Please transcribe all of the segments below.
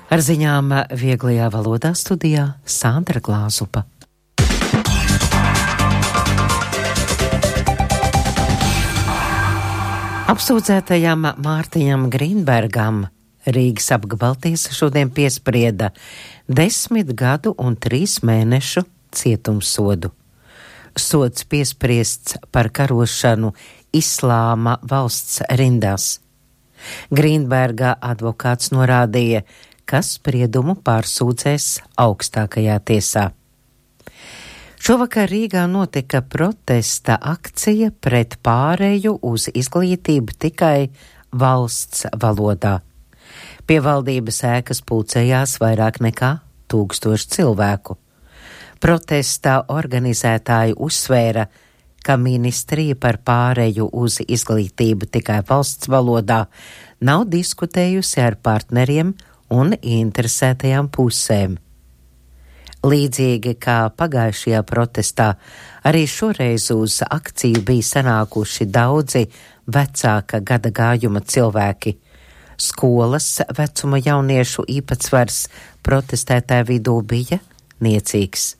Ar ziņām vieglajā valodā studijā Sandra Glāzupa. Apsūdzētajam Mārtiņam Grīnbergam Rīgas apgabaltiesa šodien piesprieda 10 gadu un 3 mēnešu cietumsodu. Sods piespriests par karošanu Islāma valsts rindās. Grīnberga advokāts norādīja, ka spriedumu pārsūdzēs augstākajā tiesā. Šovakar Rīgā notika protesta akcija pret pāreju uz izglītību tikai valsts valodā. Pie valdības ēkas pulcējās vairāk nekā 1000 cilvēku. Protesta organizētāji uzsvēra, ka ministrija par pāreju uz izglītību tikai valsts valodā nav diskutējusi ar partneriem un interesētajām pusēm. Līdzīgi kā pagājušajā protestā, arī šoreiz uz akciju bija sanākuši daudzi vecāka gada gājuma cilvēki. Skolas vecuma jauniešu īpatsvars protestētāju vidū bija niecīgs.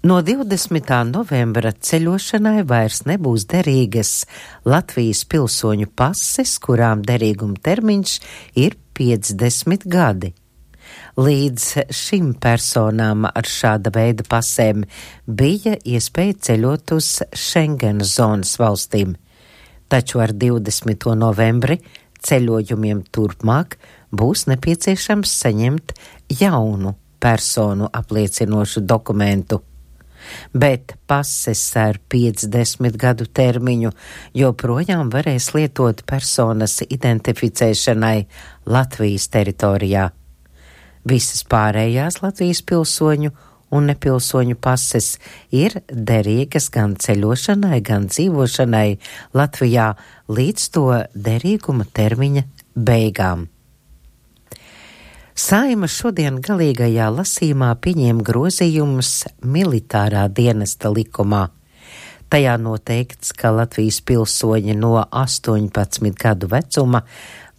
No 20. novembra ceļošanai vairs nebūs derīgas Latvijas pilsoņu pases, kurām derīguma termiņš ir 50 gadi. Līdz šim personām ar šāda veida pasēm bija iespēja ceļot uz Schengenas zonas valstīm, taču ar 20. novembri ceļojumiem turpmāk būs nepieciešams saņemt jaunu personu apliecinošu dokumentu. Bet pases ar 50 gadu termiņu joprojām varēs lietot personas identificēšanai Latvijas teritorijā. Visas pārējās Latvijas pilsoņu un nepilsoņu pases ir derīgas gan ceļošanai, gan dzīvošanai Latvijā līdz to derīguma termiņa beigām. Saeima šodien galīgajā lasījumā pieņēma grozījumus militārā dienesta likumā. Tajā noteikts, ka Latvijas pilsoņi no 18 gadu vecuma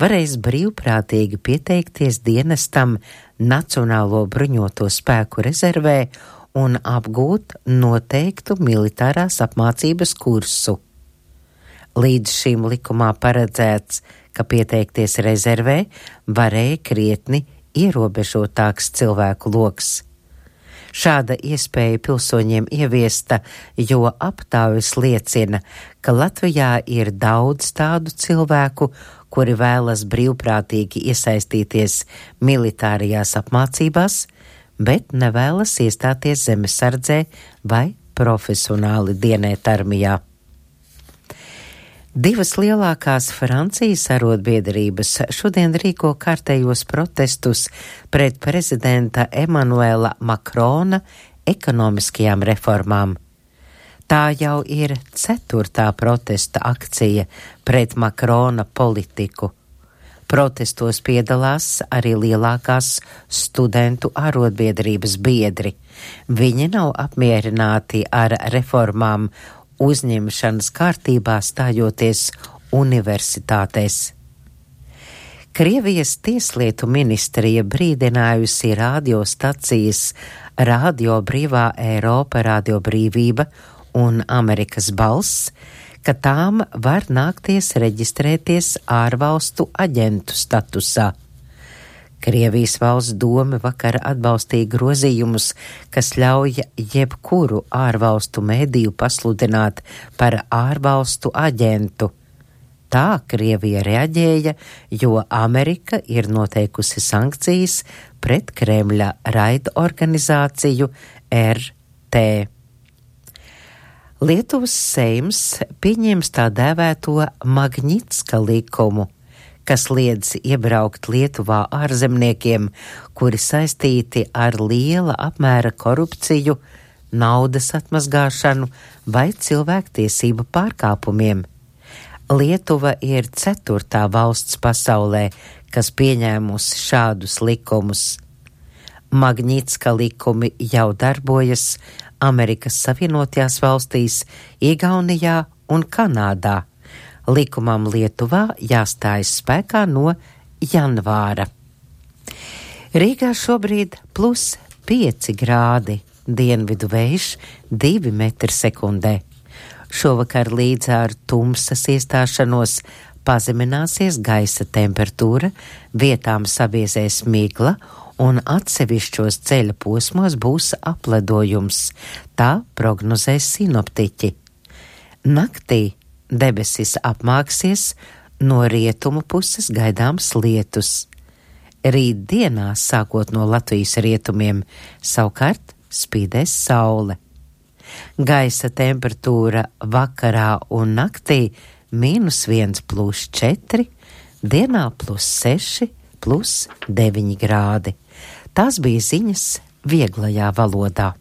varēs brīvprātīgi pieteikties dienestam Nacionālo bruņoto spēku rezervē un apgūt noteiktu militārās apmācības kursu. Līdz šim likumā paredzēts, ka pieteikties rezervē varēja krietni ierobežotāks cilvēku loks. Šāda iespēja pilsoņiem ieviesta, jo aptaujas liecina, ka Latvijā ir daudz tādu cilvēku, kuri vēlas brīvprātīgi iesaistīties militārajās apmācībās, bet nevēlas iestāties zemesardzē vai profesionāli dienēt armijā. Divas lielākās Francijas arotbiedrības šodien rīko kārtējos protestus pret prezidenta Emanuela Makrona ekonomiskajām reformām. Tā jau ir 4. protesta akcija pret Makrona politiku. Protestos piedalās arī lielākās studentu arotbiedrības biedri. Viņi nav apmierināti ar reformām uzņemšanas kārtībā stājoties universitātēs. Krievijas tieslietu ministrija brīdinājusi radiostacijas Radio Brīvā Eiropa, Radio Brīvība un Amerikas Balss, ka tām var nākties reģistrēties ārvalstu aģentu statusā. Krievijas valsts doma vakar atbalstīja grozījumus, kas ļauj jebkuru ārvalstu mediju pasludināt par ārvalstu aģentu. Tā Krievija reaģēja, jo Amerika ir noteikusi sankcijas pret Kremļa raidorganizāciju RT. Lietuvas Seims pieņems tā dēvēto Magnitska likumu, kas liedz iebraukt Lietuvā ārzemniekiem, kuri saistīti ar liela apmēra korupciju, naudas atmazgāšanu vai cilvēktiesību pārkāpumiem. Lietuva ir 4. valsts pasaulē, kas pieņēmusi šādus likumus. Magnitska likumi jau darbojas Amerikas Savienotajās valstīs, Igaunijā un Kanādā. Likumam Lietuvā jāstājas spēkā no janvāra. Rīgā šobrīd +5 grādi, dienvidu vējš 2 metri sekundē. Šovakar līdz ar tumsas iestāšanos pazemināsies gaisa temperatūra, vietām sabiezēs migla un atsevišķos ceļa posmos būs apledojums, tā prognozēs sinoptiķi. Naktī debesis apmāksies, no rietumu puses gaidāms lietus. Rīt dienā, sākot no Latvijas rietumiem, savukārt spīdēs saule. Gaisa temperatūra vakarā un naktī -1 + 4, dienā +6, +9 grādi. Tās bija ziņas vieglajā valodā.